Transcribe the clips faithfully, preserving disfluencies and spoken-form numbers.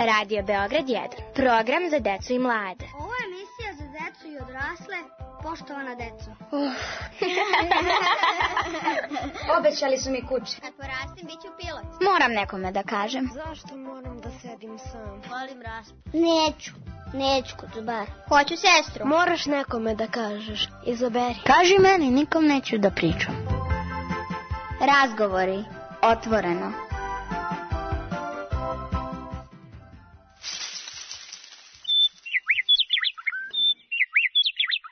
Radio Beograd jedan. Program za decu i mlade. Ovo je emisija za decu i odrasle. Poštovana deco. Uh. Obećali su mi kuće. Kad porastim, bit ću pilot. Moram nekome da kažem. Zašto moram da sedim sam? Volim raspu. Neću. Neću kod zubara. Hoću sestru. Moraš nekome da kažeš. Izaberi. Kaži meni, nikom neću da pričam. Razgovori. Otvoreno.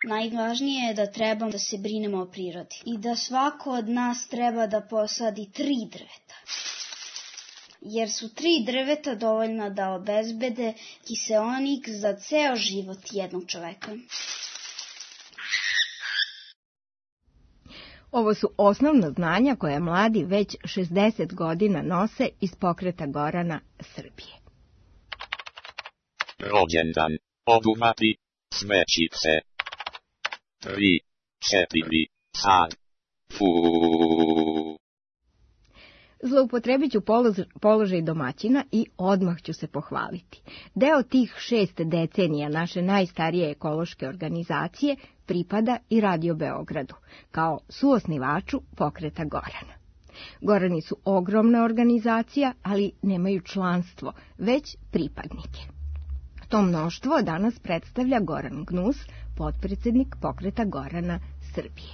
Najvažnije je da trebamo da se brinemo o prirodi i da svako od nas treba da posadi tri drveta. Jer su tri drveta dovoljna da obezbede kiseonik za ceo život jednog čoveka. Ovo su osnovna znanja koje mladi već šezdeset godina nose iz Pokreta Gorana Srbije. Rođendan. Obuhvati. Sve čipse. Tri, četiri, sad. Fuuu. Zloupotrebit ću položaj domaćina i odmah ću se pohvaliti. Deo tih šest decenija naše najstarije ekološke organizacije pripada i Radio Beogradu, kao suosnivaču Pokreta Gorana. Gorani su ogromna organizacija, ali nemaju članstvo, već pripadnike. To mnoštvo danas predstavlja Goran Gnus, potpredsednik Pokreta Gorana Srbije.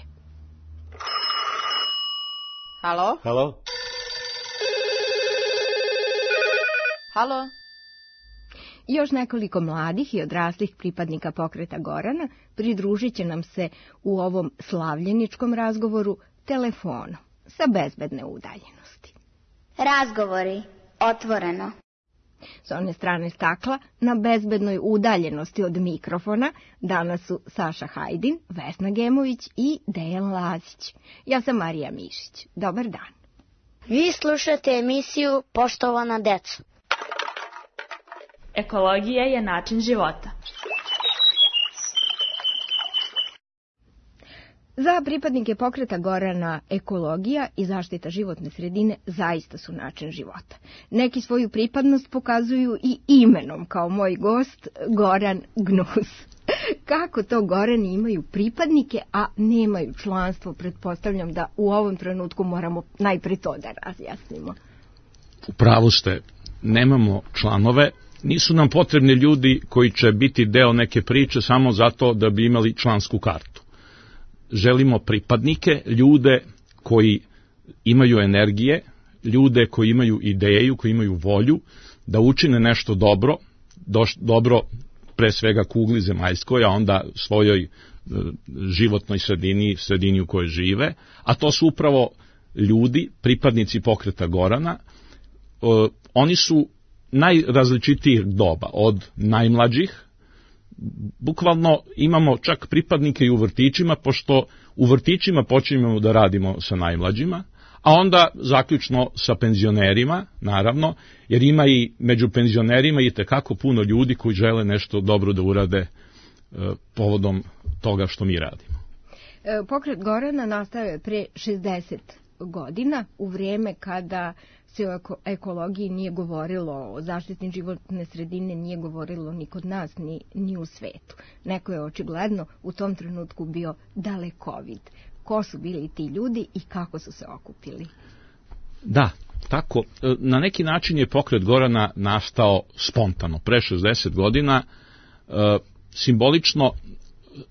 Halo? Halo? Halo? Još nekoliko mladih i odraslih pripadnika Pokreta Gorana pridružit će nam se u ovom slavljeničkom razgovoru telefonom sa bezbedne udaljenosti. Razgovori. Otvoreno. S one strane stakla, na bezbednoj udaljenosti od mikrofona, danas su Saša Hajdin, Vesna Gemović i Dejan Lazić. Ja sam Marija Mišić. Dobar dan. Vi slušate emisiju Poštovana deco. Ekologija je način života. Za pripadnike Pokreta Gorana ekologija i zaštita životne sredine zaista su način života. Neki svoju pripadnost pokazuju i imenom, kao moj gost Goran Gnus. Kako to Gorani imaju pripadnike, a nemaju članstvo? Pretpostavljam da u ovom trenutku moramo najpre to da razjasnimo. U pravu ste, nemamo članove, nisu nam potrebni ljudi koji će biti deo neke priče samo zato da bi imali člansku kartu. Želimo pripadnike, ljude koji imaju energije, ljude koji imaju ideju, koji imaju volju da učine nešto dobro, doš, dobro pre svega kugli zemaljskoj, a onda svojoj e, životnoj sredini, sredini u kojoj žive, a to su upravo ljudi, pripadnici Pokreta Gorana. E, oni su najrazličitijih doba, od najmlađih, bukvalno imamo čak pripadnike i u vrtićima, pošto u vrtićima počinjemo da radimo sa najmlađima, a onda zaključno sa penzionerima, naravno, jer ima i među penzionerima i tekako puno ljudi koji žele nešto dobro da urade e, povodom toga što mi radimo. Pokret Gorana nastao je pre šezdeset godina, u vrijeme kada se o ekologiji nije govorilo, o zaštiti životne sredine nije govorilo ni kod nas, ni, ni u svetu. Neko je očigledno u tom trenutku bio dalekovid. Ko su bili ti ljudi i kako su se okupili? Da, tako. Na neki način je Pokret Gorana nastao spontano, pre šezdeset godina. E, simbolično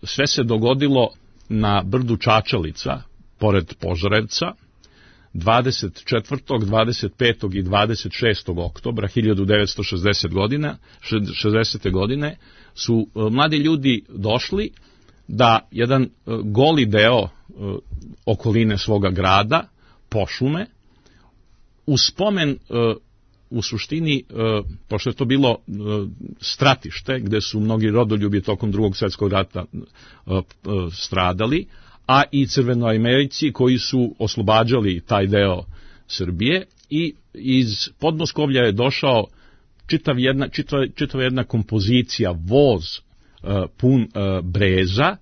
sve se dogodilo na brdu Čačalica, pored Požarevca, dvadeset četvrtog, dvadeset petog i dvadeset šestog oktobra hiljadu devetsto šezdesete godine su mladi ljudi došli da jedan goli deo okoline svoga grada pošume u spomen, u suštini, pošto je to bilo stratište gde su mnogi rodoljubi tokom drugog svjetskog rata stradali, a i Crvenoamerici koji su oslobađali taj deo Srbije, i iz Podmoskovlja je došao čitav jedna, čitava, čitava jedna kompozicija, voz uh, pun uh, breza,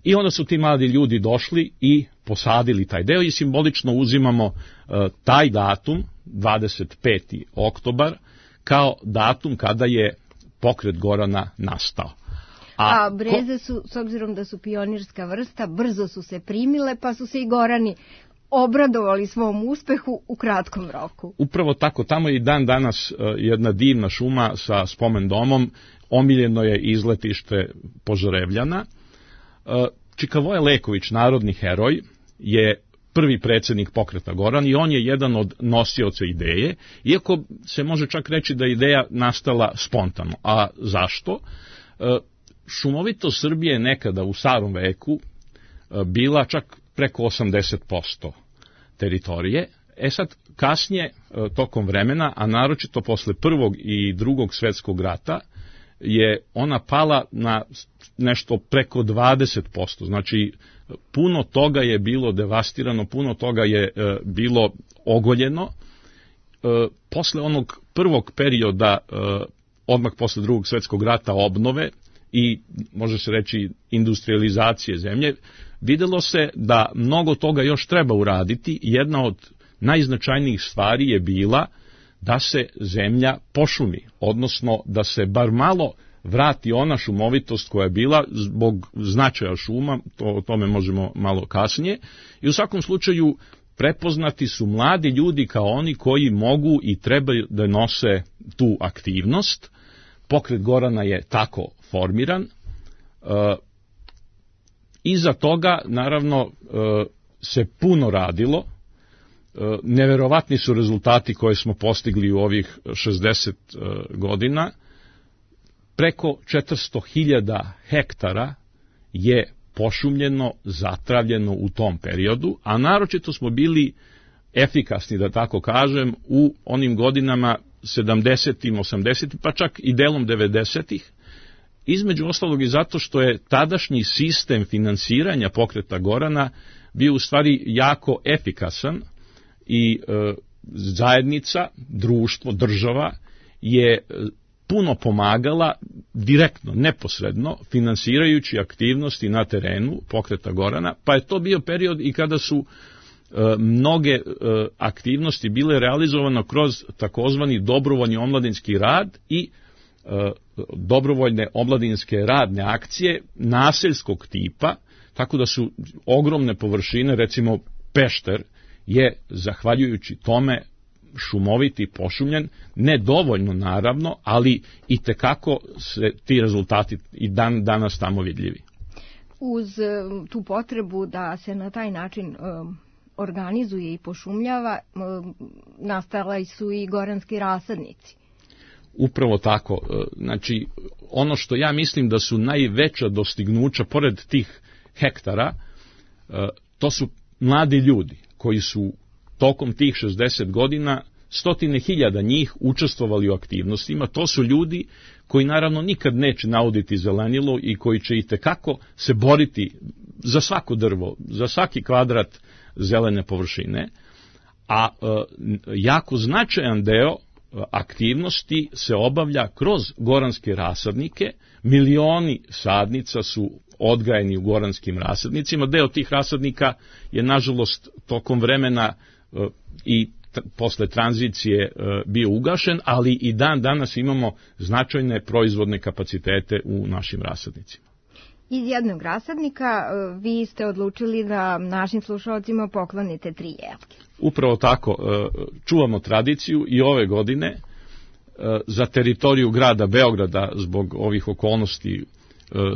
i onda su ti mladi ljudi došli i posadili taj deo i simbolično uzimamo uh, taj datum, dvadeset peti oktobar, kao datum kada je pokret Gorana nastao. A, A breze su, s obzirom da su pionirska vrsta, brzo su se primile, pa su se i Gorani obradovali svom uspehu u kratkom roku. Upravo tako, tamo je i dan danas jedna divna šuma sa spomen domom, omiljeno je izletište Požarevljana. Čikavoje Leković, narodni heroj, je prvi predsjednik pokreta Goran i on je jedan od nosioca ideje, iako se može čak reći da je ideja nastala spontano. A zašto? Šumovitost Srbije je nekada u starom veku bila čak preko osamdeset posto teritorije. E sad, kasnije, tokom vremena, a naročito posle prvog i drugog svetskog rata, je ona pala na nešto preko dvadeset posto. Znači, puno toga je bilo devastirano, puno toga je e, bilo ogoljeno. E, posle onog prvog perioda, e, odmah posle drugog svetskog rata, obnove i, može se reći, industrializacije zemlje, videlo se da mnogo toga još treba uraditi. Jedna od najznačajnijih stvari je bila da se zemlja pošumi, odnosno da se bar malo vrati ona šumovitost koja je bila zbog značaja šuma, to, o tome možemo malo kasnije. I u svakom slučaju prepoznati su mladi ljudi kao oni koji mogu i trebaju da nose tu aktivnost. Pokret Gorana je tako formiran. E, iza toga, naravno, e, se puno radilo. E, neverovatni su rezultati koje smo postigli u ovih šezdeset e, godina. Preko četiristo hiljada hektara je pošumljeno, zatravljeno u tom periodu, a naročito smo bili efikasni, da tako kažem, u onim godinama sedamdesetim, osamdesetim, pa čak i delom devedesetih, između ostalog i zato što je tadašnji sistem finansiranja pokreta Gorana bio u stvari jako efikasan i e, zajednica, društvo, država je puno pomagala direktno, neposredno, finansirajući aktivnosti na terenu pokreta Gorana, pa je to bio period i kada su e, mnoge e, aktivnosti bile realizovane kroz takozvani dobrovoljni omladinski rad i e, dobrovoljne omladinske radne akcije naseljskog tipa, tako da su ogromne površine, recimo Pešter je, zahvaljujući tome, šumoviti, pošumljen, ne dovoljno naravno, ali i tekako se ti rezultati i dan danas tamo vidljivi. Uz tu potrebu da se na taj način um, organizuje i pošumljava, um, nastali su i goranski rasadnici. Upravo tako. Znači, ono što ja mislim da su najveća dostignuća, pored tih hektara, to su mladi ljudi koji su tokom tih šezdeset godina, stotine hiljada njih učestvovali u aktivnostima. To su ljudi koji naravno nikad neće nauditi zelenilo i koji će itekako se boriti za svako drvo, za svaki kvadrat zelene površine, a e, jako značajan deo aktivnosti se obavlja kroz goranske rasadnike. Milioni sadnica su odgajeni u goranskim rasadnicima. Deo tih rasadnika je, nažalost, tokom vremena e, i t- posle tranzicije e, bio ugašen, ali i dan danas imamo značajne proizvodne kapacitete u našim rasadnicima. Iz jednog rasadnika e, vi ste odlučili da našim slušalcima poklonite tri jelke. Upravo tako, e, čuvamo tradiciju i ove godine e, za teritoriju grada Beograda, zbog ovih okolnosti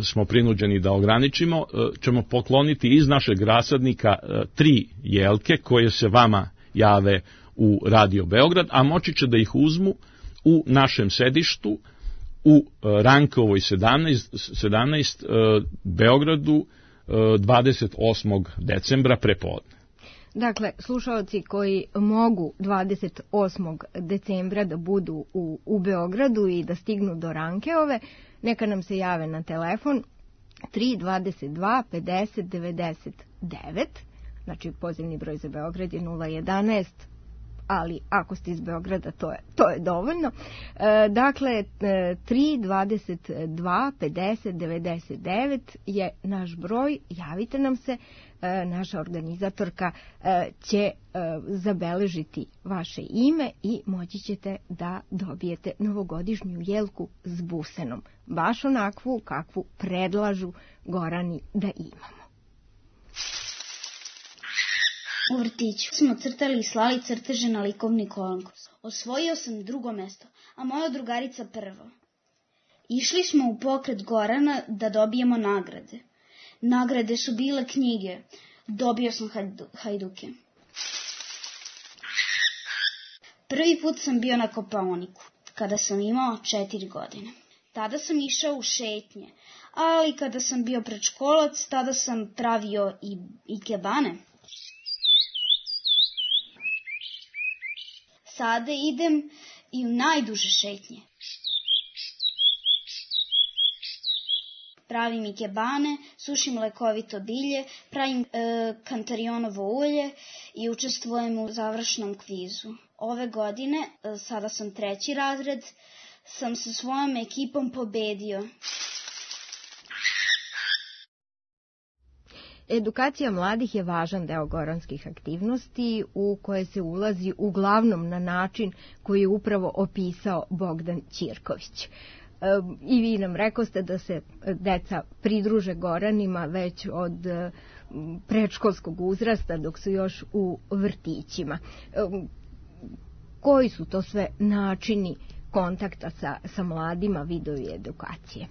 smo prinuđeni da ograničimo, ćemo pokloniti iz našeg rasadnika tri jelke koje se vama jave u Radio Beograd, a moći će da ih uzmu u našem sedištu u Rankovoj sedamnaest, sedamnaest Beogradu dvadeset osmog decembra prepodne. Dakle, slušalci koji mogu dvadeset osmog decembra da budu u, u Beogradu i da stignu do Rankeove, neka nam se jave na telefon tri dvadeset dva pedeset devedeset devet, znači pozivni broj za Beograd je nula jedanaest, ali ako ste iz Beograda to je, to je dovoljno. E, dakle, tri dvadeset dva pedeset devedeset devet je naš broj, javite nam se, e, naša organizatorka e, će e, zabeležiti vaše ime i moći ćete da dobijete novogodišnju jelku s busenom, baš onakvu kakvu predlažu Gorani da imamo. U vrtiću smo crtali i slali crteže na likovni konkurs. Osvojio sam drugo mesto, a moja drugarica prvo. Išli smo u pokret Gorana da dobijemo nagrade. Nagrade su bile knjige. Dobio sam hajdu, hajduke. Prvi put sam bio na Kopaoniku, kada sam imao četiri godine. Tada sam išao u šetnje, ali kada sam bio predškolac, tada sam pravio i, i kebane. Sada idem i u najduže šetnje. Pravim ikebane, sušim lekovito bilje, pravim e, kantarionovo ulje i učestvujem u završnom kvizu. Ove godine, e, sada sam treći razred, sam sa svojom ekipom pobedio. Edukacija mladih je važan deo goranskih aktivnosti u koje se ulazi uglavnom na način koji je upravo opisao Bogdan Ćirković. I vi nam rekoste da se deca pridruže Goranima već od predškolskog uzrasta dok su još u vrtićima. Koji su to sve načini kontakta sa, sa mladima, vidovi edukacije?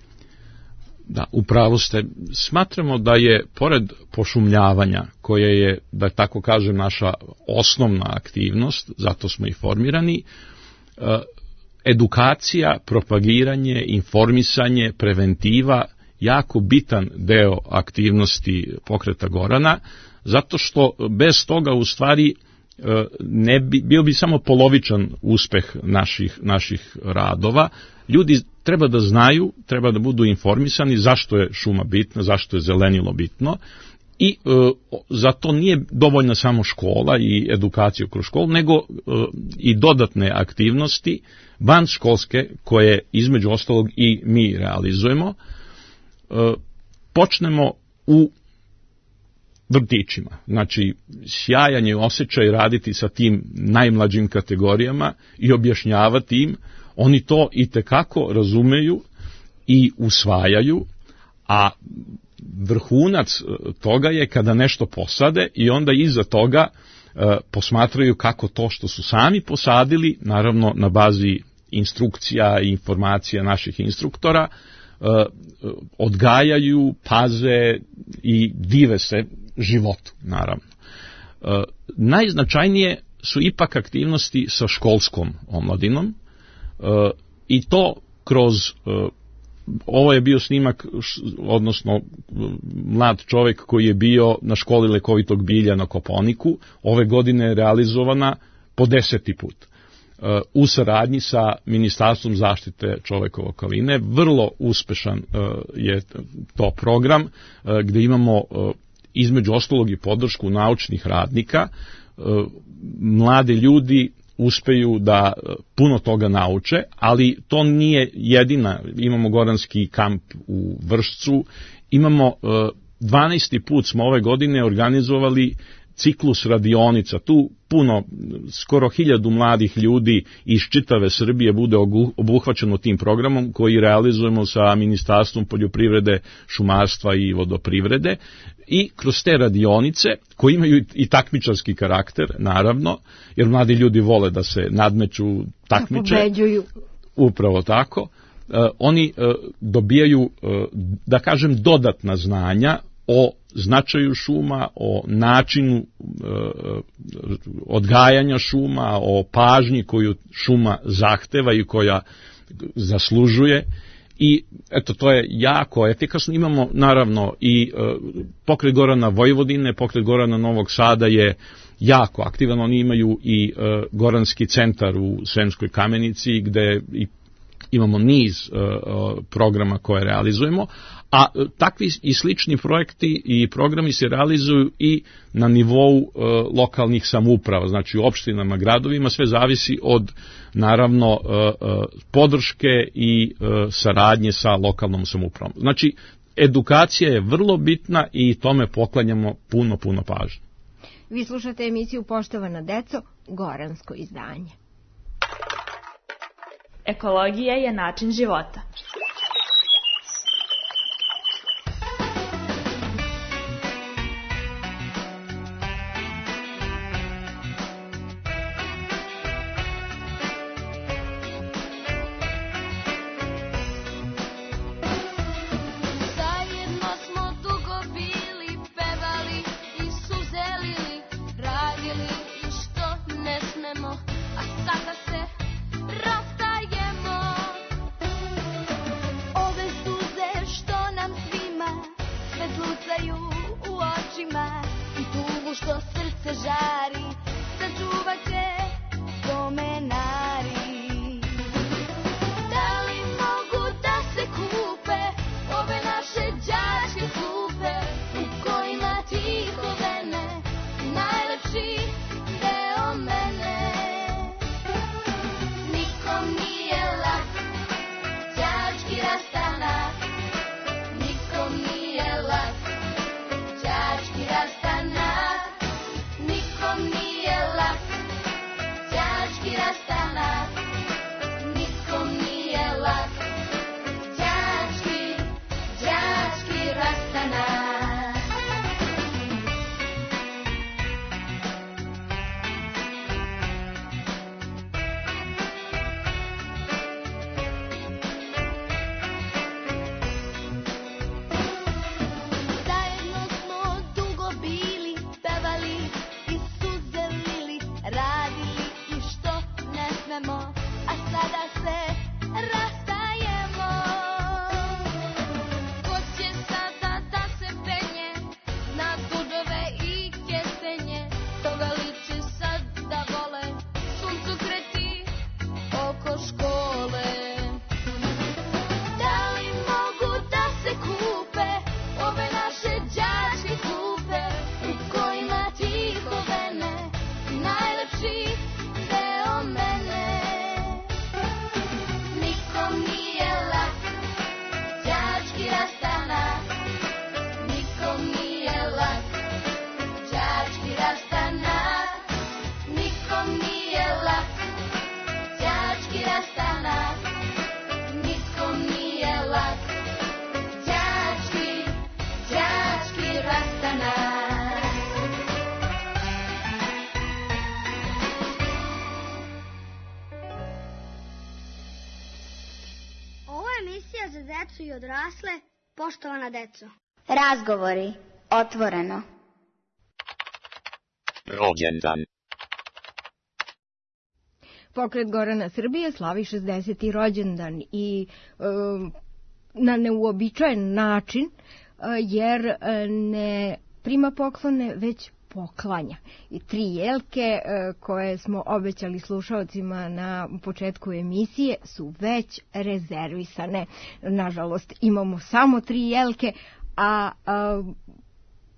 Da, upravo ste. Smatramo da je, pored pošumljavanja, koje je, da tako kažem, naša osnovna aktivnost, zato smo i formirani, edukacija, propagiranje, informisanje, preventiva, jako bitan deo aktivnosti pokreta Gorana, zato što bez toga u stvari ne bi, bio bi samo polovičan uspeh naših, naših radova. Ljudi treba da znaju, treba da budu informisani zašto je šuma bitna, zašto je zelenilo bitno i e, za to nije dovoljna samo škola i edukacija kroz školu, nego e, i dodatne aktivnosti vanškolske koje između ostalog i mi realizujemo. E, počnemo u vrtićima. Znači, sjajan je osjećaj raditi sa tim najmlađim kategorijama i objašnjavati im. Oni to i tekako razumeju i usvajaju, a vrhunac toga je kada nešto posade i onda iza toga e, posmatraju kako to što su sami posadili, naravno na bazi instrukcija i informacija naših instruktora, e, odgajaju, paze i dive se životu, naravno. E, najznačajnije su ipak aktivnosti sa školskom omladinom, e, i to kroz, e, ovo je bio snimak, odnosno mlad čovjek koji je bio na školi lekovitog bilja na Kopaoniku, ove godine je realizovana po deseti put. E, u saradnji sa Ministarstvom zaštite čovekove okoline, vrlo uspešan e, je to program, e, gde imamo e, između ostalog i podršku naučnih radnika. Mladi ljudi uspeju da puno toga nauče, ali to nije jedina. Imamo goranski kamp u Vršcu, imamo dvanaesti put smo ove godine organizovali ciklus radionica. Tu puno, skoro hiljadu mladih ljudi iz čitave Srbije bude obuhvaćeno tim programom koji realizujemo sa Ministarstvom poljoprivrede, šumarstva i vodoprivrede. I kroz te radionice, koji imaju i takmičarski karakter, naravno, jer mladi ljudi vole da se nadmeću, takmiče. Da pobeđuju. Upravo tako. Uh, oni uh, dobijaju, uh, da kažem, dodatna znanja o značaju šuma, o načinu e, odgajanja šuma, o pažnji koju šuma zahteva i koja zaslužuje. I eto, to je jako efikasno. Imamo naravno i e, pokret Gorana Vojvodine, pokret Gorana Novog Sada je jako aktivan. Oni imaju i e, Goranski centar u Sremskoj Kamenici gde i imamo niz uh, programa koje realizujemo, a uh, takvi i slični projekti i programi se realizuju i na nivou uh, lokalnih samouprava, znači u opštinama, gradovima, sve zavisi od naravno uh, uh, podrške i uh, saradnje sa lokalnom samoupravom. Znači, edukacija je vrlo bitna i tome poklanjamo puno, puno pažnje. Vi slušate emisiju Poštovana deco, goransko izdanje. Ekologija je način života. Emisija za decu i odrasle, poštovana deco. Razgovori, otvoreno. Rođendan. Pokret Gorana Srbije slavi šezdeseti rođendan i e, na neuobičajen način, e, jer e, ne prima poklone, već poklanja. I tri jelke e, koje smo obećali slušaocima na početku emisije su već rezervisane. Nažalost, imamo samo tri jelke, a, a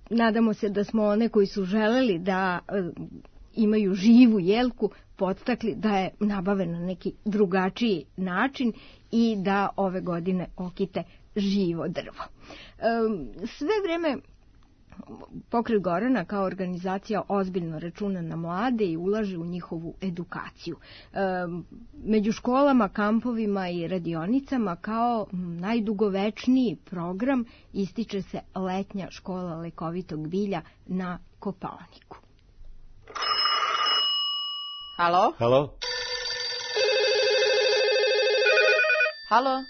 nadamo se da smo one koji su želeli da a, imaju živu jelku podstakli da je nabave na neki drugačiji način i da ove godine okite živo drvo. E, sve vreme Pokret Gorana kao organizacija ozbiljno računa na mlade i ulaže u njihovu edukaciju. E, među školama, kampovima i radionicama kao najdugovečniji program ističe se letnja škola lekovitog bilja na Kopaoniku. Halo? Halo? Halo?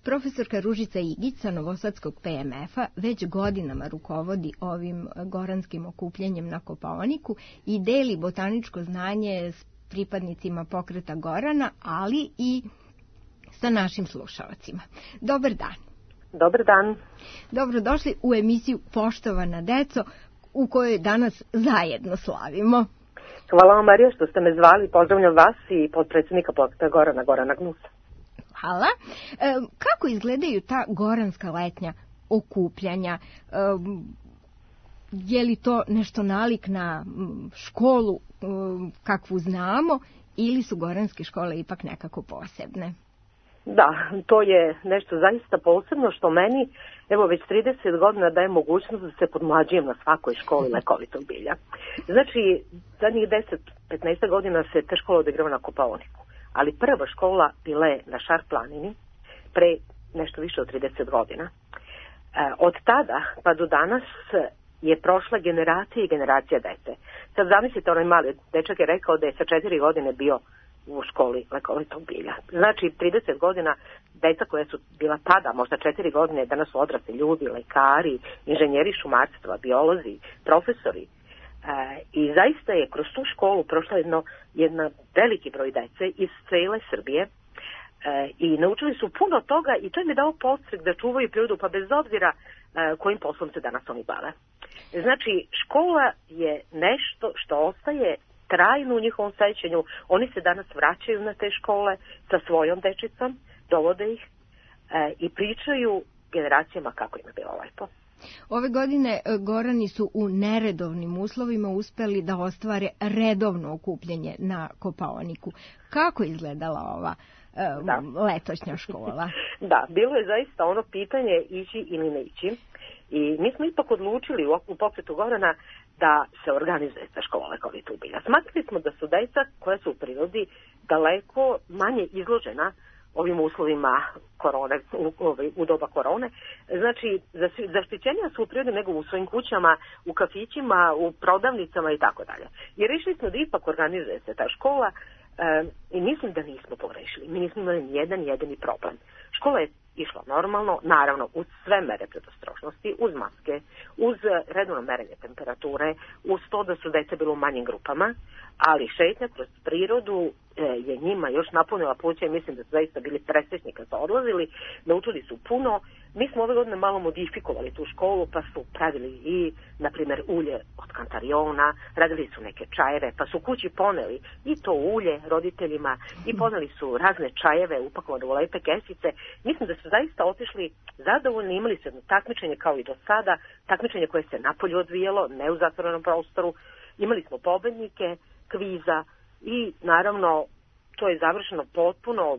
Profesorka Ružica Igić sa Novosadskog P M F-a već godinama rukovodi ovim goranskim okupljanjem na Kopaoniku i deli botaničko znanje s pripadnicima Pokreta Gorana, ali i sa našim slušalcima. Dobar dan. Dobar dan. Dobrodošli u emisiju Poštovana deco, u kojoj danas zajedno slavimo. Hvala vam, Marija, što ste me zvali. Pozdravljam vas i potpredsjednika Pokreta Gorana, Gorana Gnusa. Hvala. E, kako izgledaju ta goranska letnja okupljanja? E, je li to nešto nalik na školu e, kakvu znamo ili su goranske škole ipak nekako posebne? Da, to je nešto zaista posebno što meni, evo već trideset godina daje mogućnost da se podmlađujem na svakoj školi lekovitog bilja. Znači, zadnjih deset do petnaest godina se te škole odigrava na Kopaoniku, ali prva škola bila je na Šar planini pre nešto više od trideset godina. E, od tada pa do danas je prošla generacija i generacija dece. Sad zamislite, onaj mali dečak je rekao da je sa četiri godine bio u školi lekovitog bilja. Znači, trideset godina deca koja su bila tada, možda četiri godine, danas su odrasli ljudi, lekari, inženjeri šumarstva, biolozi, profesori. E, I zaista je kroz tu školu prošla jedno, jedna veliki broj dece iz cele Srbije. E, I naučili su puno toga i to im je dao podstrek da čuvaju prirodu, pa bez obzira e, kojim poslom se danas oni bave. Znači, škola je nešto što ostaje trajno u njihovom sećanju. Oni se danas vraćaju na te škole sa svojom dečicom, dovode ih e, i pričaju generacijama kako im je bilo lepo. Ove godine Gorani su u neredovnim uslovima uspeli da ostvare redovno okupljanje na Kopaoniku. Kako je izgledala ova e, da. letošnja škola? Da, bilo je zaista ono pitanje ići ili ne ići. I mi smo ipak odlučili u, u pokretu Gorana da se organizuje ta škola lekovitog bilja. Smatrali smo da su deca koja su u prirodi daleko manje izložena ovim uslovima korone, u, u doba korone. Znači, zaštićenija su u prirodi nego u svojim kućama, u kafićima, u prodavnicama i tako dalje. I rešili smo da ipak organizuje se ta škola e, i mislim da nismo pogrešili. Mi nismo imali nijedan jedini problem. Škola je išla normalno, naravno uz sve mere predostrožnosti, uz maske, uz redovno merenje temperature, uz to da su deca bilo u manjim grupama, ali šetnja kroz prirodu e, je njima još napunila pluća i mislim da su zaista bili presrećni kad su odlazili, naučili su puno. Mi smo ove godine malo modifikovali tu školu, pa su pravili i, na primjer, ulje od kantariona, radili su neke čajeve, pa su kući poneli i to ulje roditeljima i poneli su razne čajeve upakovane u lepe kesice. Mislim da su zaista otišli zadovoljni, imali su jedno takmičenje kao i do sada, takmičenje koje se napolju odvijelo, ne u zatvorenom prostoru. Imali smo pobednike kviza i naravno to je završeno potpuno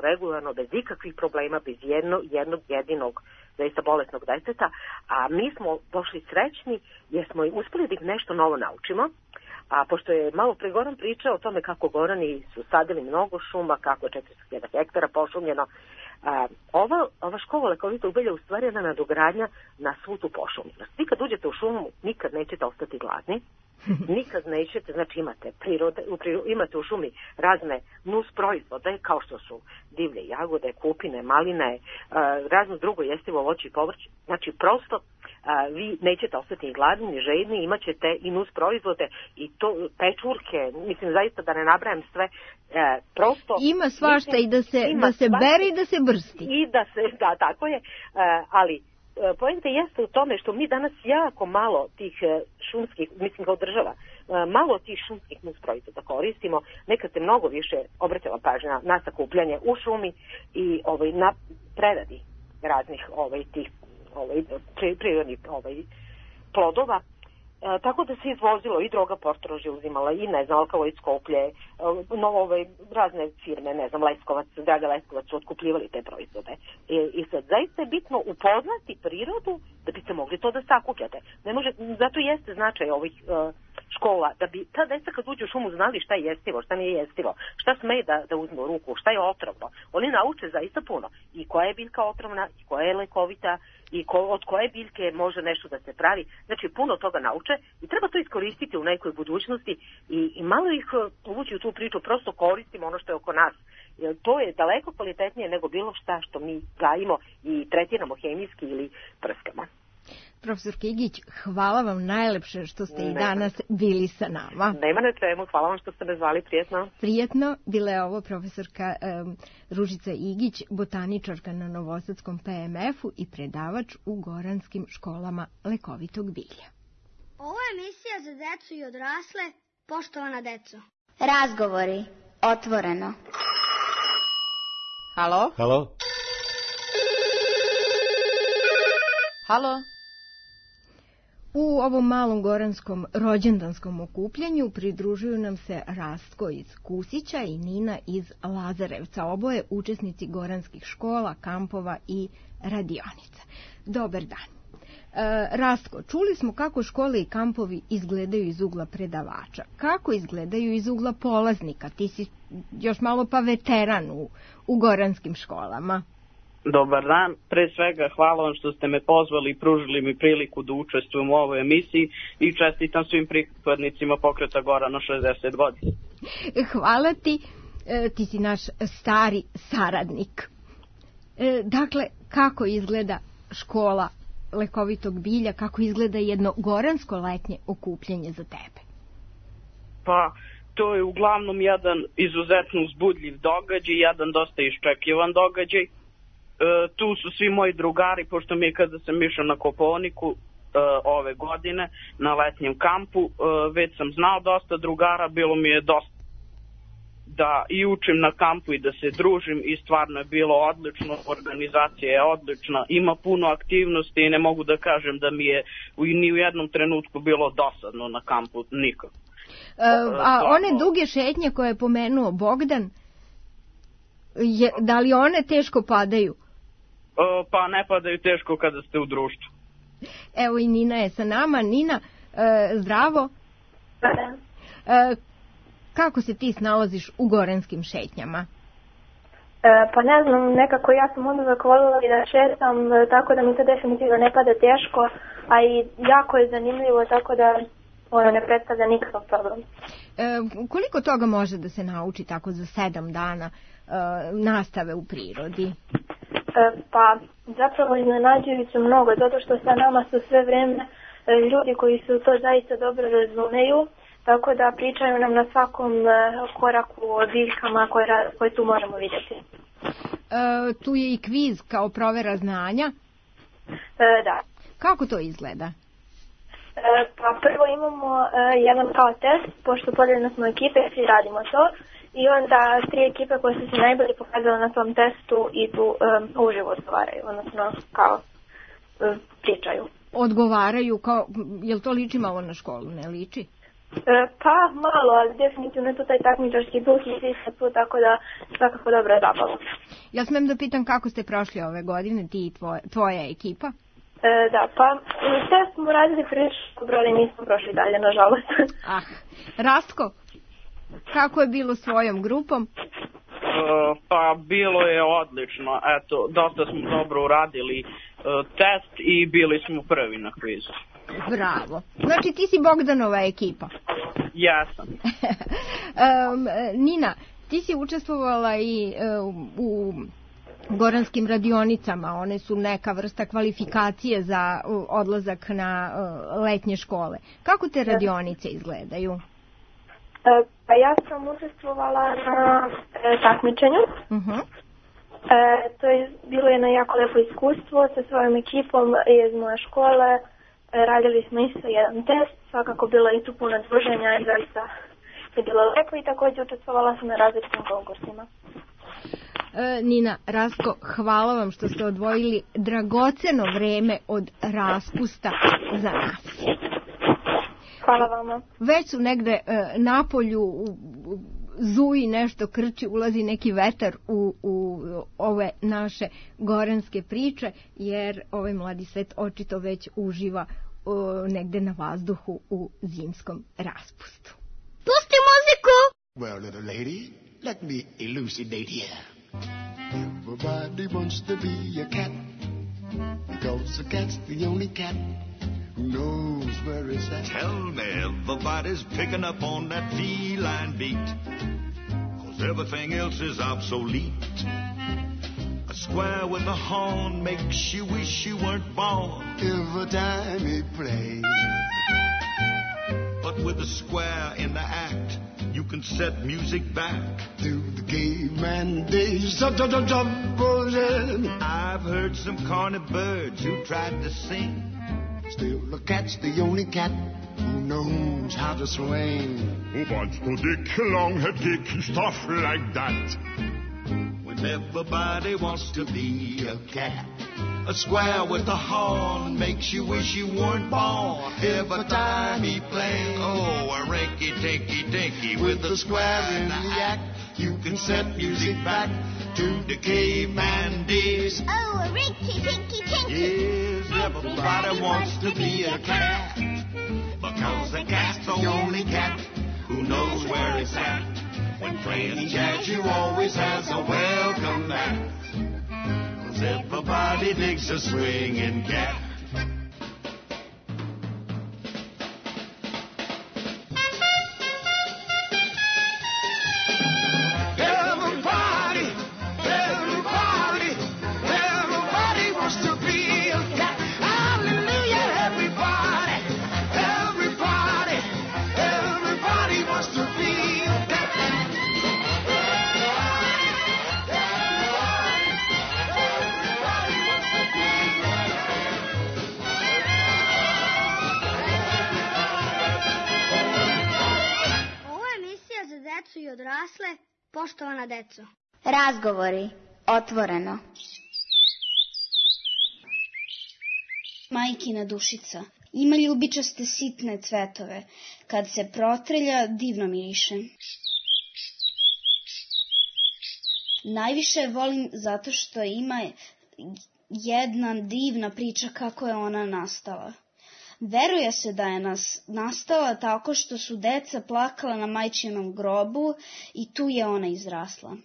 regularno, bez ikakvih problema, bez jedno, jednog jedinog zaista bolesnog deteta, a mi smo došli srećni jer smo uspeli da ih nešto novo naučimo, a pošto je malo pre Goran pričao o tome kako Gorani su sadili mnogo šuma, kako je četiristo hiljada hektara pošumljeno, a, ova, ova škola lekovitog bilja u stvari je jedna nadogradnja na svu tu pošumljenost. Vi kad uđete u šumu, nikad nećete ostati gladni, nikad nećete, znači imate prirode, u prirode, imate u šumi razne nus proizvode kao što su divlje jagode, kupine, maline, razno drugo jestivo voće i povrće. Znači prosto vi nećete ostati gladni ni žedni, imat ćete i nus proizvode i to pečurke, mislim zaista da ne nabrajam sve, prosto ima svašta mislim, i da se da se bere i da se brsti. I da se, da, tako je, ali poenta jeste u tome što mi danas jako malo tih šumskih, mislim kao država, malo tih šumskih nus proizvoda koristimo. Nekad se mnogo više obratila pažnja na sakupljanje u šumi i ovaj, na preradi raznih ovaj, tih ovaj, prirodnih ovaj, plodova. E, tako da se izvozilo i droga Portorož je uzimala i ne znam, alkaloid Skoplje, no, ove, razne firme, ne znam, Leskovac, Draga Leskovac su otkupljivali te proizvode. E, I sad zaista je bitno upoznati prirodu da biste mogli to da sakupljate. Ne može, zato jeste značaj ovih uh, škola, da bi ta deca kad uđu u šumu znali šta je jestivo, šta nije jestivo, šta smeje da, da uzme u ruku, šta je otrovno. Oni nauče zaista puno. I koja je biljka otrovna, i koja je lekovita, i ko, od koje biljke može nešto da se pravi. Znači, puno toga nauče i treba to iskoristiti u nekoj budućnosti i, i malo ih uvući u tu priču, prosto koristimo ono što je oko nas. Jer to je daleko kvalitetnije nego bilo šta što mi gajimo i tretiramo hemijski ili prskama. Profesor Igić, hvala vam najlepše što ste i danas bili sa nama. Nema na čemu, hvala vam što ste me zvali, prijetno. Prijetno, bila je ovo profesorka um, Ružica Igić, botaničarka na Novosadskom P M F-u i predavač u goranskim školama lekovitog bilja. Ovo je emisija za decu i odrasle, poštovana deco. Razgovori, otvoreno. Halo? Halo? Halo? U ovom malom goranskom rođendanskom okupljanju pridružuju nam se Rastko iz Kusića i Nina iz Lazarevca, oboje učesnici goranskih škola, kampova i radionica. Dobar dan. E, Rastko, čuli smo kako škole i kampovi izgledaju iz ugla predavača. Kako izgledaju iz ugla polaznika? Ti si još malo pa veteran u, u goranskim školama. Dobar dan. Pre svega hvala vam što ste me pozvali i pružili mi priliku da učestvujem u ovoj emisiji i čestitam svim pripadnicima pokreta Gorana šezdeset godina. Hvala ti. E, ti si naš stari saradnik. E, dakle, kako izgleda škola lekovitog bilja, kako izgleda jedno goransko letnje okupljanje za tebe? Pa, to je uglavnom jedan izuzetno uzbudljiv događaj, jedan dosta iščekivan događaj. E, tu su svi moji drugari, pošto mi je kada sam išao na Kopaoniku e, ove godine na letnjem kampu, e, već sam znao dosta drugara, bilo mi je dosta da i učim na kampu i da se družim i stvarno je bilo odlično, organizacija je odlična, ima puno aktivnosti i ne mogu da kažem da mi je ni u jednom trenutku bilo dosadno na kampu, nikako. E, a one duge šetnje koje je pomenuo Bogdan, je, da li one teško padaju? E, pa ne padaju teško kada ste u društvu. Evo i Nina je sa nama. Nina, e, zdravo. E, kako se ti snalaziš u goranskim šetnjama? E, pa ne znam, nekako ja sam onda zakovolila i da šetam, tako da mi to definitivno ne pada teško, a i jako je zanimljivo, tako da ono ne predstavlja nikakav problem. E, koliko toga može da se nauči tako za sedam dana e, nastave u prirodi? E, pa zapravo iznenađujuće mnogo, zato što sa nama su sve vreme e, ljudi koji su to zaista dobro razumeju, tako da pričaju nam na svakom e, koraku o biljkama koje, koje tu možemo vidjeti. E, tu je i kviz kao provera znanja? E, da. Kako to izgleda? E, pa prvo imamo e, jedan kao test, pošto podijeljeno smo ekipe, svi radimo to, i onda tri ekipe koje su se najbolje pokazale na tom testu idu e, uživo odgovaraju, odnosno kao e, pričaju. Odgovaraju kao, jel to liči malo na školu, ne liči? E, pa malo, ali definitivno je to taj takmičarski duh i svi se tu, tako da svakako dobra zabava. Ja smem da pitam kako ste prošli ove godine, ti i tvoja, tvoja ekipa? E, da, pa test smo radili prilično dobro, ali nismo prošli dalje, nažalost. Ah, Rastko, kako je bilo svojom grupom? Uh, pa bilo je odlično, eto, dosta smo dobro uradili uh, test i bili smo prvi na kvizu. Bravo, znači ti si Bogdanova ekipa. Jesam. um, Nina, ti si učestvovala i uh, u goranskim radionicama, one su neka vrsta kvalifikacije za uh, odlazak na uh, letnje škole. Kako te radionice izgledaju? E, pa ja sam učestvovala na e, takmičenju. Uh-huh. E, to je bilo jedno jako lepo iskustvo sa svojom ekipom iz moje škole. E, radili smo isto jedan test, svakako bilo i tu puno druženja i zaista je bilo lepo i također učestvovala sam na različitim konkursima. E, Nina, Rastko, hvala vam što ste odvojili dragoceno vreme od raspusta za nas. Hvala vama. Već su negde e, na polju u, u, zuji nešto krči, ulazi neki vetar u, u ove naše goranske priče, jer ovaj mladi svet očito već uživa o, negde na vazduhu u zimskom raspustu. Pusti muziku! Well, little lady, let me elucidate here. Everybody wants to be a cat, because a cat's the only cat who knows where it's at. Tell me, everybody's picking up on that feline beat, 'cause everything else is obsolete. A square with a horn makes you wish you weren't born every time he plays. But with a square in the act, you can set music back to the caveman days. I've heard some corny birds who tried to sing. Still, the cat's the only cat who knows how to swing. Who wants to dick, long-head dick, stuff like that? When everybody wants to be a cat. A square with a horn makes you wish you weren't born. Every time he plays, oh, a rinky-tinky-tinky with a square in the act. You can set music back to the caveman days. Oh, a rinky-tinky-tinky. Yes, everybody wants to be a cat. Because the cat's the only cat who knows where it's at. When playing jazz, you always has a welcome mat. Everybody digs a swinging cat. Everybody, everybody, everybody wants to be a cat. Hallelujah, everybody, everybody, everybody wants to be a cat. Decu i odrasle, poštovana deco. Razgovori, otvoreno. Majkina dušica ima ljubičaste sitne cvetove. Kad se protrelja, divno miriše. Najviše je volim zato što ima jedna divna priča kako je ona nastala. Veruje se da je nas nastala tako što su deca plakala na majčinom grobu i tu je ona izrasla.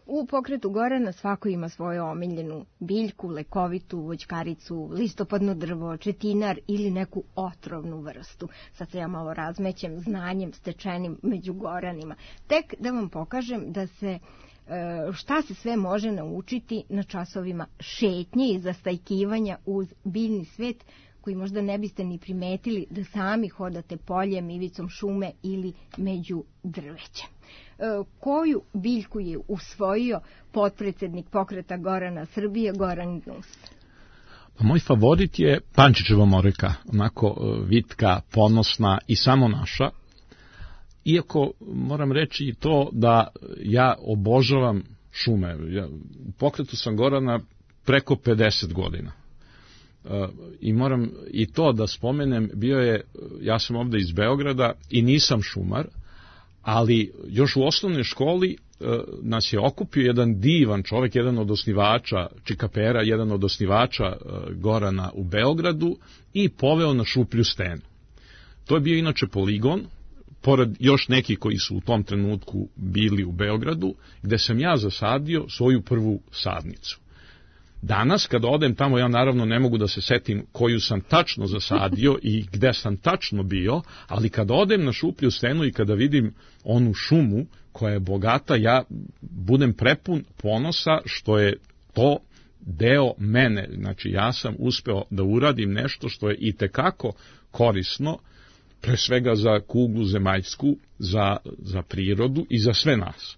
U pokretu Gorana svako ima svoju omiljenu biljku, lekovitu, voćkaricu, listopadno drvo, četinar ili neku otrovnu vrstu. Sad se ja malo razmećem znanjem stečenim među Goranima. Tek da vam pokažem da se šta se sve može naučiti na časovima šetnje i zastajkivanja uz biljni svet koji možda ne biste ni primetili da sami hodate poljem, ivicom šume ili među drvećem. Koju biljku je usvojio potpredsednik pokreta Gorana Srbije, Goran Gnus? Pa moj favorit je Pančićeva moreka, onako vitka, ponosna i samo naša. Iako moram reći i to da ja obožavam šume. Ja, u pokretu sam Gorana preko pedeset godina. E, I moram i to da spomenem, bio je, ja sam ovde iz Beograda i nisam šumar, ali još u osnovnoj školi e, nas je okupio jedan divan čovek, jedan od osnivača Čikapera, jedan od osnivača e, Gorana u Beogradu i poveo na Šuplju stenu. To je bio inače poligon, pored još neki koji su u tom trenutku bili u Beogradu, gde sam ja zasadio svoju prvu sadnicu. Danas, kada odem tamo, ja naravno ne mogu da se setim koju sam tačno zasadio i gde sam tačno bio, ali kada odem na Šuplju stenu i kada vidim onu šumu koja je bogata, ja budem prepun ponosa što je to deo mene. Znači, ja sam uspeo da uradim nešto što je itekako korisno, pre svega za kuglu zemaljsku, za, za prirodu i za sve nas.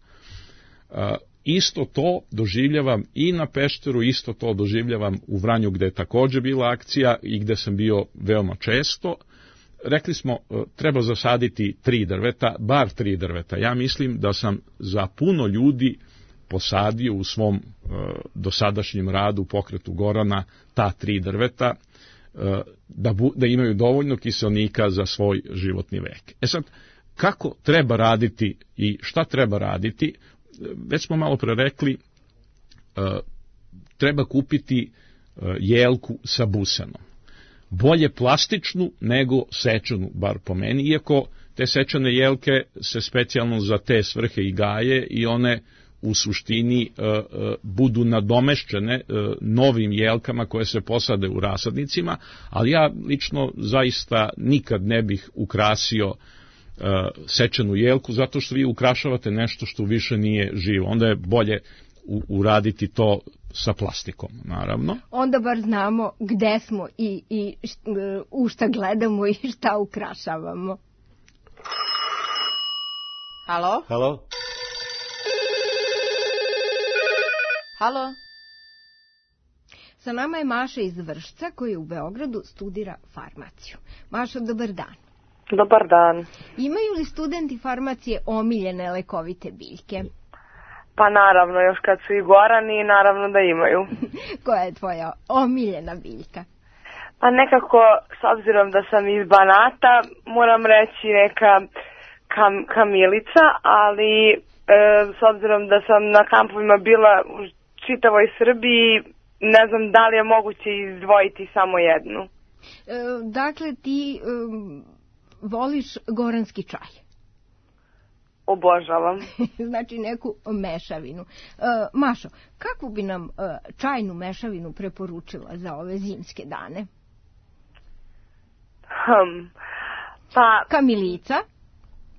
E, isto to doživljavam i na Pešteru, isto to doživljavam u Vranju gde je takođe bila akcija i gde sam bio veoma često. Rekli smo, treba zasaditi tri drveta, bar tri drveta. Ja mislim da sam za puno ljudi posadio u svom e, dosadašnjem radu u pokretu Gorana ta tri drveta, Da, bu, da imaju dovoljno kiselnika za svoj životni vek. E sad, kako treba raditi i šta treba raditi, već smo malo pre rekli, treba kupiti jelku sa busenom. Bolje plastičnu nego sečanu, bar po meni, iako te sečane jelke se specijalno za te svrhe i gaje i one u suštini e, e, budu nadomešćene e, novim jelkama koje se posade u rasadnicima, ali ja lično zaista nikad ne bih ukrasio e, sečenu jelku, zato što vi ukrašavate nešto što više nije živo. Onda je bolje u, uraditi to sa plastikom, naravno. Onda bar znamo gde smo i, i u šta gledamo i šta ukrašavamo. Halo? Halo? Halo? Sa nama je Maša iz Vršca koja u Beogradu studira farmaciju. Maša, dobar dan. Dobar dan. Imaju li studenti farmacije omiljene lekovite biljke? Pa naravno, još kad su i gorani, naravno da imaju. Koja je tvoja omiljena biljka? Pa nekako, s obzirom da sam iz Banata, moram reći neka kam, kamilica, ali e, s obzirom da sam na kampovima bila u čitavoj Srbiji, ne znam da li je moguće izdvojiti samo jednu. E, dakle, ti e, voliš goranski čaj? Obožavam. Znači neku mešavinu. E, Mašo, kakvu bi nam e, čajnu mešavinu preporučila za ove zimske dane? Hmm. Pa, kamilica,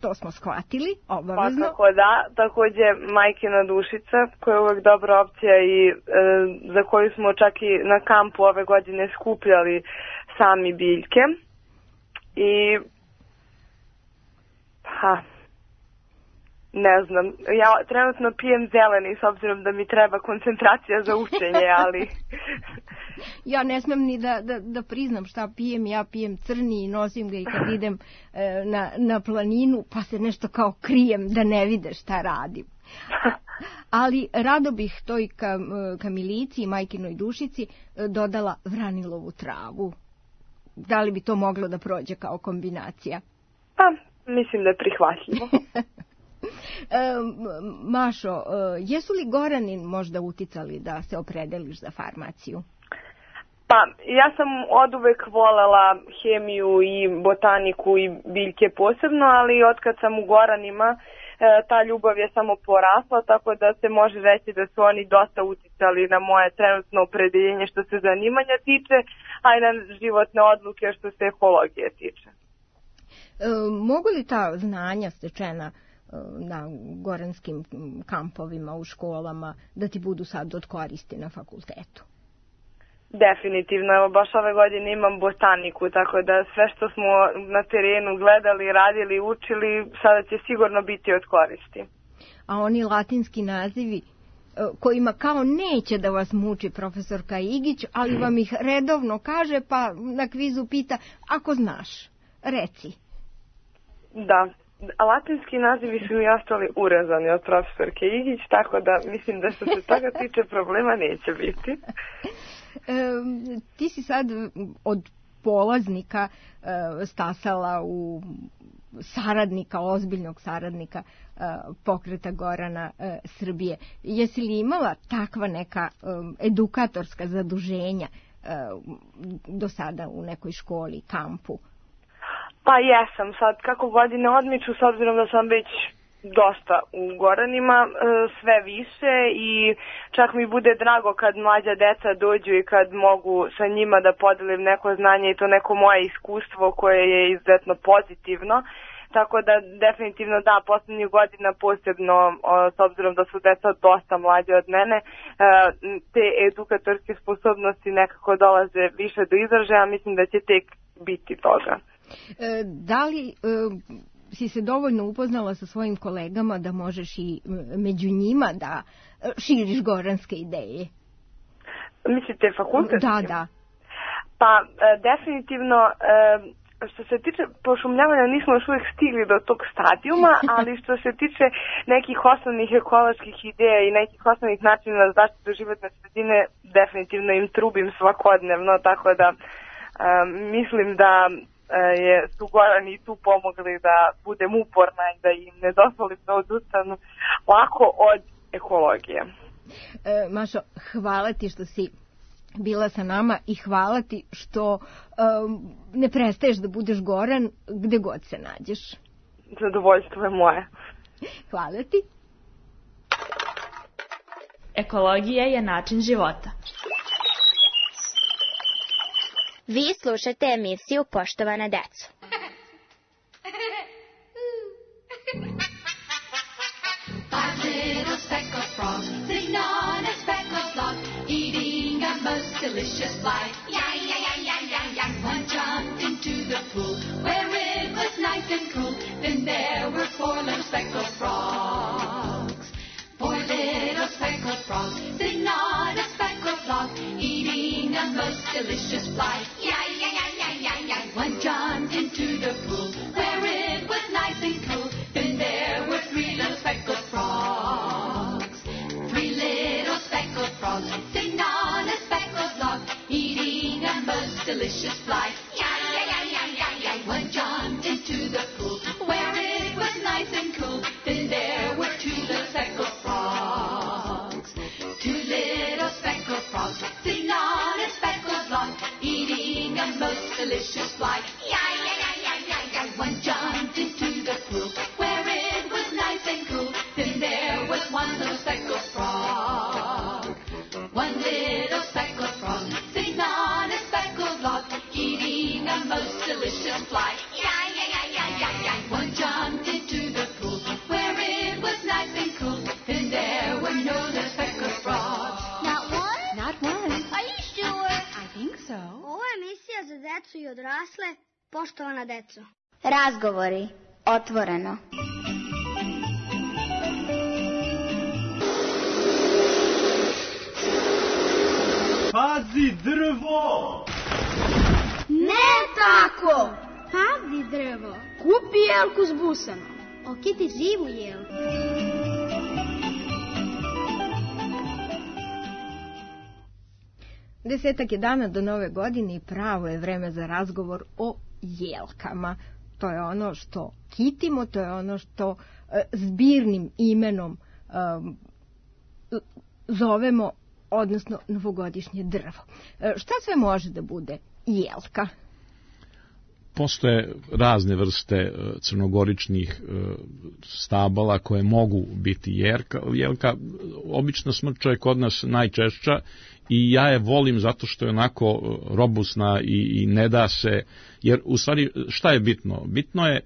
to smo shvatili, obavezno. Pa tako da, takođe majkina dušica, koja je uvek dobra opcija i e, za koju smo čak i na kampu ove godine skupljali sami biljke. I, pa, ne znam, ja trenutno pijem zeleni s obzirom da mi treba koncentracija za učenje, ali... Ja ne smem ni da, da, da priznam šta pijem, ja pijem crni i nosim ga i kad idem e, na, na planinu, pa se nešto kao krijem da ne vide šta radim. Ali rado bih toj kam, kamilici i majkinoj dušici dodala vranilovu travu. Da li bi to moglo da prođe kao kombinacija? Pa, mislim da je prihvatljivo. E, Mašo, e, jesu li Gorani možda uticali da se opredeliš za farmaciju? Pa, ja sam oduvek volela hemiju i botaniku i biljke posebno, ali otkad sam u Goranima, ta ljubav je samo porasla, tako da se može reći da su oni dosta uticali na moje trenutno opredeljenje što se zanimanja tiče, a i na životne odluke što se ekologije tiče. E, mogu li ta znanja stečena na goranskim kampovima, u školama, da ti budu sad od koristi na fakultetu? Definitivno, evo baš ove godine imam botaniku, tako da sve što smo na terenu gledali, radili, učili, sada će sigurno biti od koristi. A oni latinski nazivi kojima kao neće da vas muči profesorka Igić, ali vam ih redovno kaže, pa na kvizu pita, ako znaš, reci. Da, latinski nazivi su mi ostali urezani od profesorke Igić, tako da mislim da što se toga tiče problema neće biti. E, ti si sad od polaznika e, stasala u saradnika, ozbiljnog saradnika e, pokreta Gorana e, Srbije. Jesi li imala takva neka e, edukatorska zaduženja e, do sada u nekoj školi, kampu? Pa jesam, sad kako godine odmiču, s obzirom da sam već dosta u Goranima, sve više i čak mi bude drago kad mlađa deca dođu i kad mogu sa njima da podelim neko znanje i to neko moje iskustvo koje je izuzetno pozitivno. Tako da definitivno da, poslednjih godina posebno, s obzirom da su deca dosta mlađe od mene, te edukatorske sposobnosti nekako dolaze više do izražaja, mislim da će tek biti toga. E, da li... E... si se dovoljno upoznala sa svojim kolegama da možeš i među njima da širiš goranske ideje? Mislite fakultetski? Da, da. Pa, definitivno, što se tiče pošumljavanja nismo još uvijek stigli do tog stadijuma, ali što se tiče nekih osnovnih ekoloških ideja i nekih osnovnih načina za zaštitu životne sredine, definitivno im trubim svakodnevno, tako da mislim da je su Gorani tu pomogli da budem uporna i da im ne dozvolim da odustanu lako od ekologije. E, Mašo, hvala ti što si bila sa nama i hvala ti što um, ne prestaješ da budeš Goran gde god se nađeš. Zadovoljstvo je moje. Hvala ti. Ekologija je način života. Vi slušate emisiju Poštovana deco. Five little speckled frogs sitting on a speckled log, eating a most delicious fly. Yeah, yeah, yeah, yeah, yeah, yeah. One jumped into the pool where it was nice and cool. Then there were four little speckled frogs. Four little speckled frogs sitting on a speckled log, eating a most delicious fly. Yeah, yeah, yeah, yeah, yeah, yeah. One jumped into the pool where still fly. Yi-yi-yi-yi-yi-yi. One jumped into the pool where it was nice and cool, and there were no less speckled frogs. Not one? Not one. Are you sure? I think so. Ovo je emisija za decu i odrasle, poštovana deco. Razgovori. Otvoreno. Pazi drvo! Ne tako! Pazi drvo! Kupi jelku s busama. Okiti živu jelku. Desetak je dana do nove godine i pravo je vreme za razgovor o jelkama. To je ono što kitimo, to je ono što e, zbirnim imenom e, zovemo, odnosno novogodišnje drvo. E, šta sve može da bude jelka? Postoje razne vrste crnogoričnih stabala koje mogu biti jelka. Jelka obično smrča je kod nas najčešća i ja je volim zato što je onako robusna i, i ne da se, jer u stvari šta je bitno? Bitno je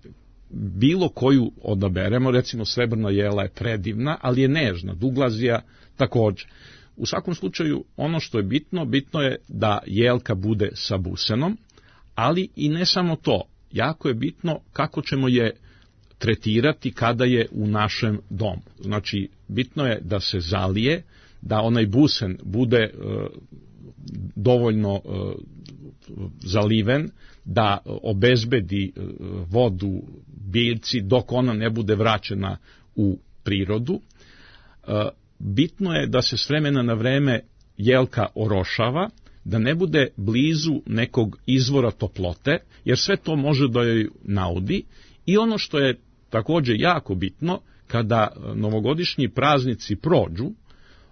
bilo koju odaberemo, recimo srebrna jela je predivna, ali je nežna, duglazija također. U svakom slučaju ono što je bitno, bitno je da jelka bude sa busenom, ali i ne samo to, jako je bitno kako ćemo je tretirati kada je u našem domu. Znači, bitno je da se zalije, da onaj busen bude e, dovoljno e, zaliven, da obezbedi e, vodu biljci dok ona ne bude vraćena u prirodu. E, bitno je da se s vremena na vreme jelka orošava, da ne bude blizu nekog izvora toplote, jer sve to može da joj naudi. I ono što je također jako bitno, kada novogodišnji praznici prođu,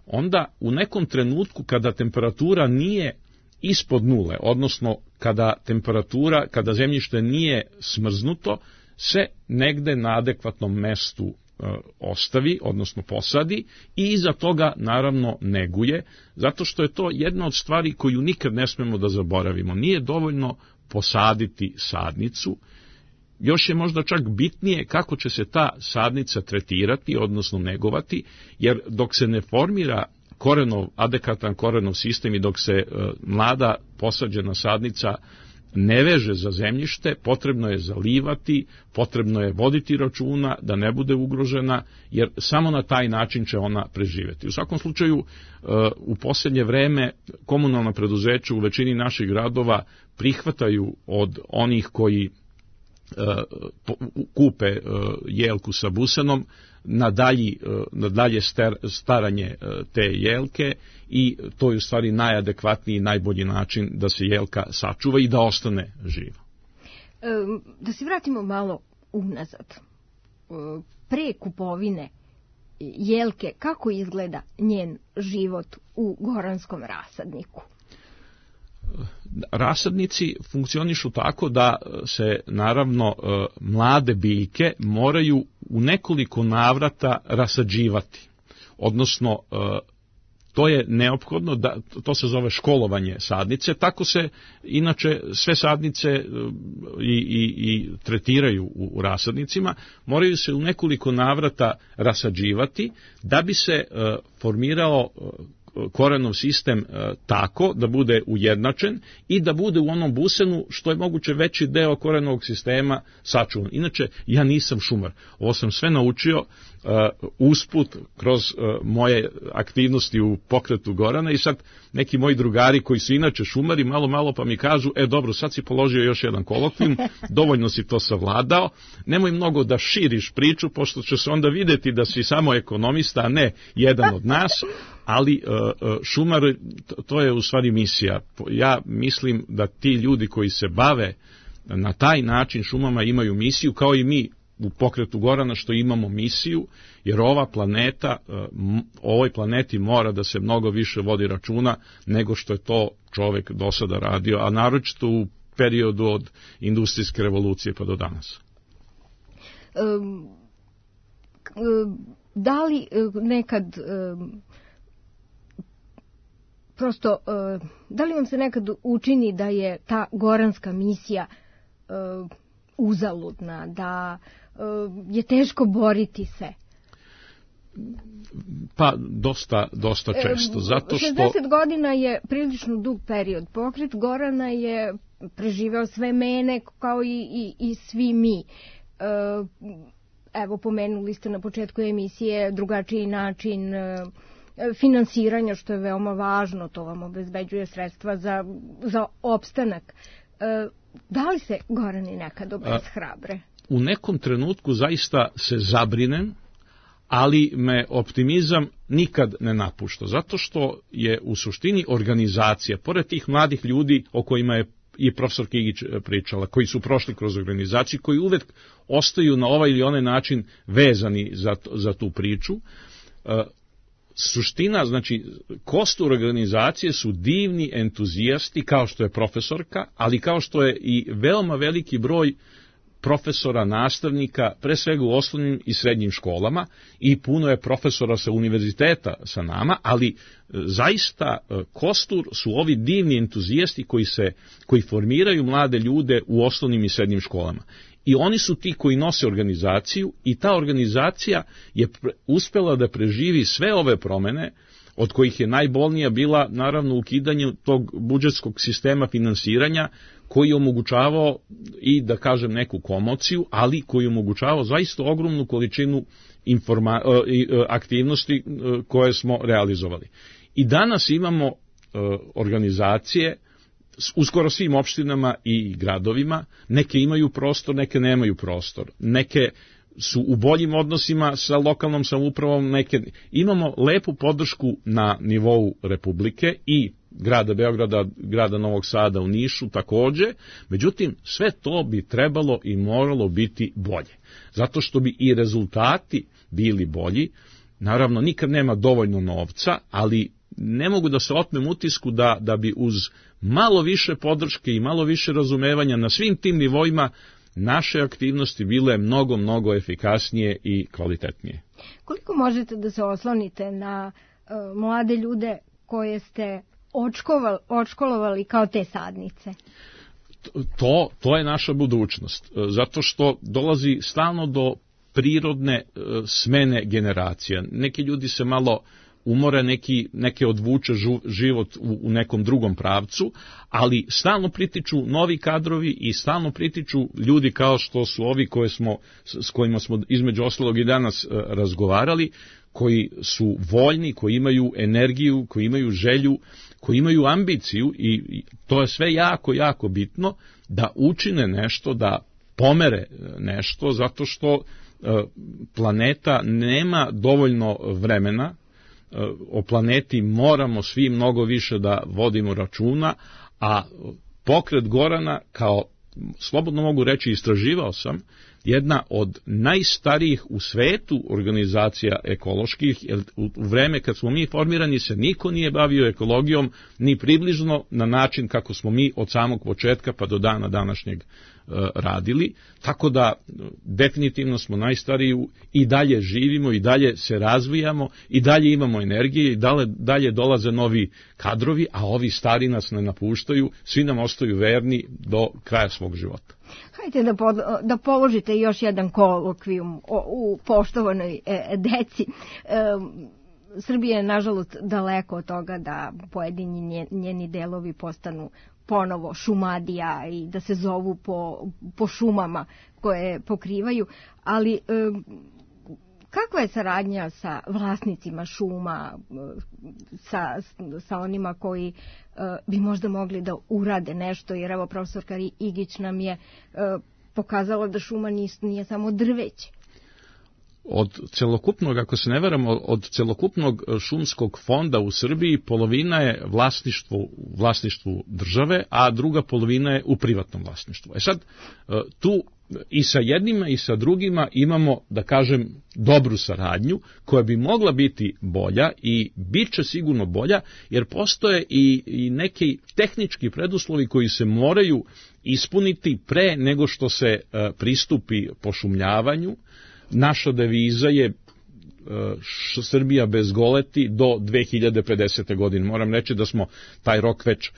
onda u nekom trenutku kada temperatura nije ispod nule, odnosno kada temperatura, kada zemljište nije smrznuto, se negde na adekvatnom mestu ostavi, odnosno posadi i iza toga naravno neguje, zato što je to jedna od stvari koju nikad ne smemo da zaboravimo. Nije dovoljno posaditi sadnicu, još je možda čak bitnije kako će se ta sadnica tretirati, odnosno negovati, jer dok se ne formira korenov, adekvatan korenov sistem i dok se e, mlada posađena sadnica ne veže za zemljište, potrebno je zalivati, potrebno je voditi računa da ne bude ugrožena, jer samo na taj način će ona preživjeti. U svakom slučaju, u posljednje vreme komunalna preduzeća u većini naših gradova prihvataju od onih koji kupe jelku sa busenom na, dalji, na dalje staranje te jelke i to je u stvari najadekvatniji i najbolji način da se jelka sačuva i da ostane živa. Da se vratimo malo unazad. Pre kupovine jelke, kako izgleda njen život u goranskom rasadniku? Rasadnici funkcionišu tako da se naravno mlade biljke moraju u nekoliko navrata rasađivati. Odnosno, to je neophodno, da, to se zove školovanje sadnice, tako se inače sve sadnice i, i, i tretiraju u, u rasadnicima, moraju se u nekoliko navrata rasađivati da bi se formirao korenov sistem e, tako da bude ujednačen i da bude u onom busenu što je moguće veći deo korenovog sistema sačuvan. Inače, ja nisam šumar. Ovo sam sve naučio e, usput kroz e, moje aktivnosti u pokretu Gorana i sad neki moji drugari koji su inače šumari malo malo pa mi kažu, e dobro, sad si položio još jedan kolokvijum, dovoljno si to savladao, nemoj mnogo da širiš priču, pošto će se onda vidjeti da si samo ekonomista, a ne jedan od nas, ali šumar, to je u stvari misija. Ja mislim da ti ljudi koji se bave na taj način šumama imaju misiju, kao i mi u pokretu Gorana što imamo misiju, jer ova planeta, ovoj planeti mora da se mnogo više vodi računa nego što je to čovek do sada radio, a naročito u periodu od industrijske revolucije pa do danas. Um, da li nekad um, prosto, da li vam se nekad učini da je ta goranska misija uzaludna, da je teško boriti se? Pa, dosta, dosta često. Zato što... šezdeset godina je prilično dug period. Pokret Gorana je preživeo sve mene kao i, i, i svi mi. Evo, pomenuli ste na početku emisije drugačiji način finansiranja, što je veoma važno, to vam obezbeđuje sredstva za, za opstanak. Da li se Gorani nekad obeshrabre? U nekom trenutku zaista se zabrinem, ali me optimizam nikad ne napušta, zato što je u suštini organizacija, pored tih mladih ljudi o kojima je i profesor Kigić pričala, koji su prošli kroz organizaciju, koji uvek ostaju na ovaj ili onaj način vezani za, za tu priču. Suština, znači, kostur organizacije su divni entuzijasti, kao što je profesorka, ali kao što je i veoma veliki broj profesora, nastavnika, pre svega u osnovnim i srednjim školama, i puno je profesora sa univerziteta sa nama, ali zaista kostur su ovi divni entuzijasti koji, se, koji formiraju mlade ljude u osnovnim i srednjim školama. I oni su ti koji nose organizaciju, i ta organizacija je uspela da preživi sve ove promene, od kojih je najbolnija bila naravno ukidanje tog budžetskog sistema finansiranja, koji je omogućavao i, da kažem, neku komociju, ali koji je omogućavao zaista ogromnu količinu informa- aktivnosti koje smo realizovali. I danas imamo organizacije u skoro svim opštinama i gradovima, neke imaju prostor, neke nemaju prostor, neke su u boljim odnosima sa lokalnom samoupravom, neke... Imamo lepu podršku na nivou Republike i grada Beograda, grada Novog Sada, u Nišu takođe, međutim sve to bi trebalo i moralo biti bolje, zato što bi i rezultati bili bolji. Naravno, nikad nema dovoljno novca, ali ne mogu da se otmem utisku da, da bi uz malo više podrške i malo više razumevanja na svim tim nivoima naše aktivnosti bile mnogo, mnogo efikasnije i kvalitetnije. Koliko možete da se oslonite na uh, mlade ljude koje ste očkovali, očkolovali kao te sadnice? To, to je naša budućnost, zato što dolazi stalno do prirodne uh, smene generacija. Neki ljudi se malo umore, neki, neke odvuče žu, život u, u nekom drugom pravcu, ali stalno pritiču novi kadrovi i stalno pritiču ljudi kao što su ovi koje smo, s kojima smo između ostalog i danas uh, razgovarali, koji su voljni, koji imaju energiju, koji imaju želju, koji imaju ambiciju, i, i to je sve jako, jako bitno, da učine nešto, da pomere nešto, zato što uh, planeta nema dovoljno vremena. O planeti moramo svi mnogo više da vodimo računa, a pokret Gorana, kao, slobodno mogu reći, istraživao sam, jedna od najstarijih u svetu organizacija ekoloških, jer u vreme kad smo mi formirani se niko nije bavio ekologijom ni približno na način kako smo mi od samog početka pa do dana današnjeg radili, tako da definitivno smo najstariji, i dalje živimo, i dalje se razvijamo, i dalje imamo energije, i dalje, dalje dolaze novi kadrovi, a ovi stari nas ne napuštaju, svi nam ostaju verni do kraja svog života. Hajde da, pod, da položite još jedan kolokvijum o, u poštovanoj e, deci. E, Srbija je, nažalost, daleko od toga da pojedini njeni delovi postanu ponovo Šumadija i da se zovu po, po šumama koje pokrivaju, ali e, kakva je saradnja sa vlasnicima šuma, sa, sa onima koji e, bi možda mogli da urade nešto, jer evo profesorka Igić nam je e, pokazala da šuma nis, nije samo drveće. Od celokupnog, ako se ne varam, od celokupnog šumskog fonda u Srbiji polovina je vlasništvo, vlasništvu države, a druga polovina je u privatnom vlasništvu. E sad, tu i sa jednima i sa drugima imamo, da kažem, dobru saradnju koja bi mogla biti bolja i bit će sigurno bolja, jer postoje i, i neki tehnički preduslovi koji se moraju ispuniti pre nego što se pristupi pošumljavanju. Naša deviza je Srbija bez goleti do dve hiljade pedesete. godine. Moram reći da smo taj rok već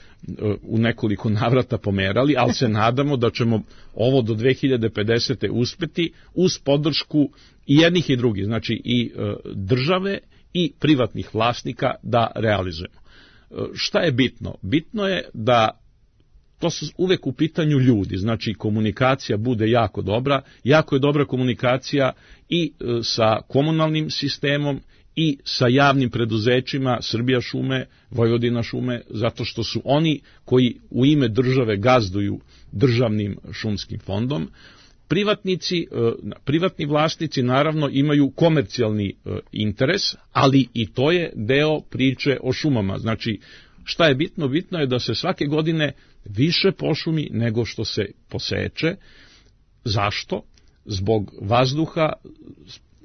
u nekoliko navrata pomerali, ali se nadamo da ćemo ovo do dve hiljade pedesete. uspeti uz podršku i jednih i drugih, znači i države i privatnih vlasnika da realizujemo. Šta je bitno? Bitno je da to su uvek u pitanju ljudi, znači komunikacija bude jako dobra, jako je dobra komunikacija i sa komunalnim sistemom i sa javnim preduzećima Srbija šume, Vojvodina šume, zato što su oni koji u ime države gazduju državnim šumskim fondom. Privatnici, privatni vlasnici naravno imaju komercijalni interes, ali i to je deo priče o šumama. Znači, šta je bitno? Bitno je da se svake godine više pošumi nego što se poseče. Zašto? Zbog vazduha,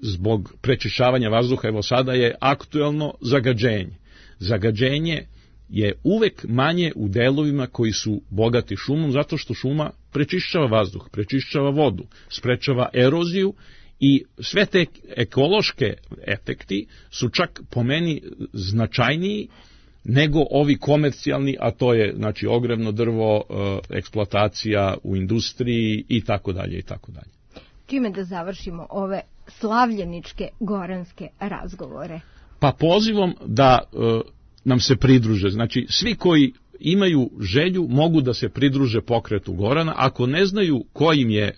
zbog prečišćavanja vazduha. Evo sada je aktuelno zagađenje. Zagađenje je uvek manje u delovima koji su bogati šumom, zato što šuma prečišćava vazduh, prečišćava vodu, sprečava eroziju i sve te ekološke efekti su čak po meni značajniji nego ovi komercijalni, a to je znači ogrevno drvo, eksploatacija u industriji i tako dalje i tako dalje. Čime da završimo ove slavljeničke goranske razgovore? Pa pozivom da nam se pridruže. Znači, svi koji imaju želju mogu da se pridruže pokretu Gorana. Ako ne znaju ko im je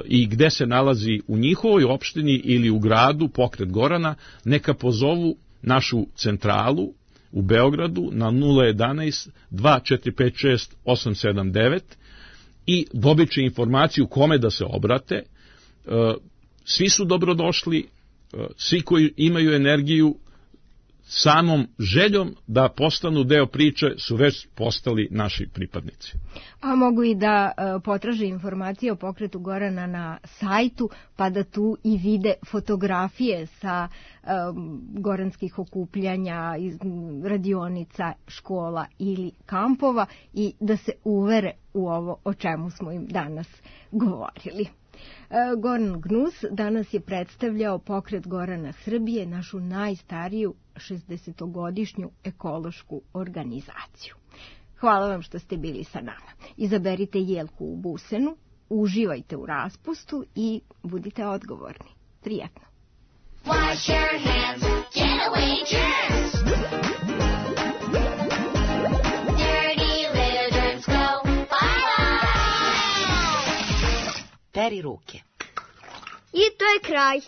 i gde se nalazi u njihovoj opštini ili u gradu pokret Gorana, neka pozovu našu centralu u Beogradu na nula jedanaest dva četiri pet šest osam sedam devet i dobit će informaciju kome da se obrate. Svi su dobrodošli, svi koji imaju energiju, samom željom da postanu deo priče su već postali naši pripadnici. A mogu i da uh, potraže informacije o pokretu Gorana na sajtu, pa da tu i vide fotografije sa um, goranskih okupljanja, iz radionica, škola ili kampova i da se uvere u ovo o čemu smo im danas govorili. Goran Gnus danas je predstavljao pokret Gorana Srbije, našu najstariju šezdesetogodišnju ekološku organizaciju. Hvala vam što ste bili sa nama. Izaberite jelku u busenu, uživajte u raspustu i budite odgovorni. Prijetno. Wash your hands, get away germs. Dirty little germs go bye-bye. Peri ruke. I to je kraj.